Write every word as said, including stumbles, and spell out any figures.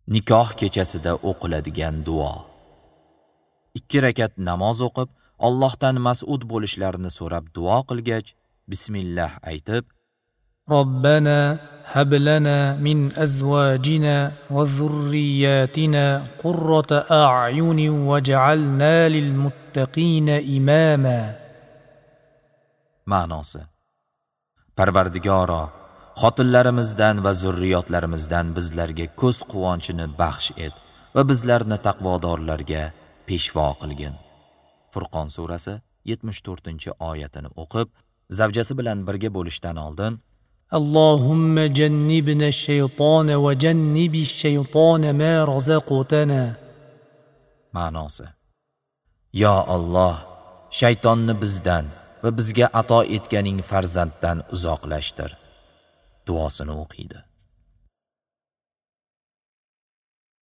Nikoh kechasida o'qiladigan duo. Ikki rakat namoz o'qib, Allohdan mas'ud bo'lishlarini so'rab duo qilgach, bismillah aytib, ربنا هب لنا من أزواجنا وذرياتنا قرة أعين واجعلنا للمتقين إماما. Ma'nosi: Parvardigoro, xotinlarimizdan va zurriyotlarimizdan bizlarga ko'z quvonchini baxsh et va bizlarni taqvodorlarga peshvo qilgin. Furqon surasi yetmish to'rtinchi oyatini o'qib, zavjasi bilan birga bo'lishdan oldin Allohumma jannibna ash-shaytona va jannibish shaytona ma razaqtana. Ma'nosi: Yo Alloh, shaytonni bizdan va bizga ato etganing farzanddan uzoqlashtir. Duosini o'qiydi.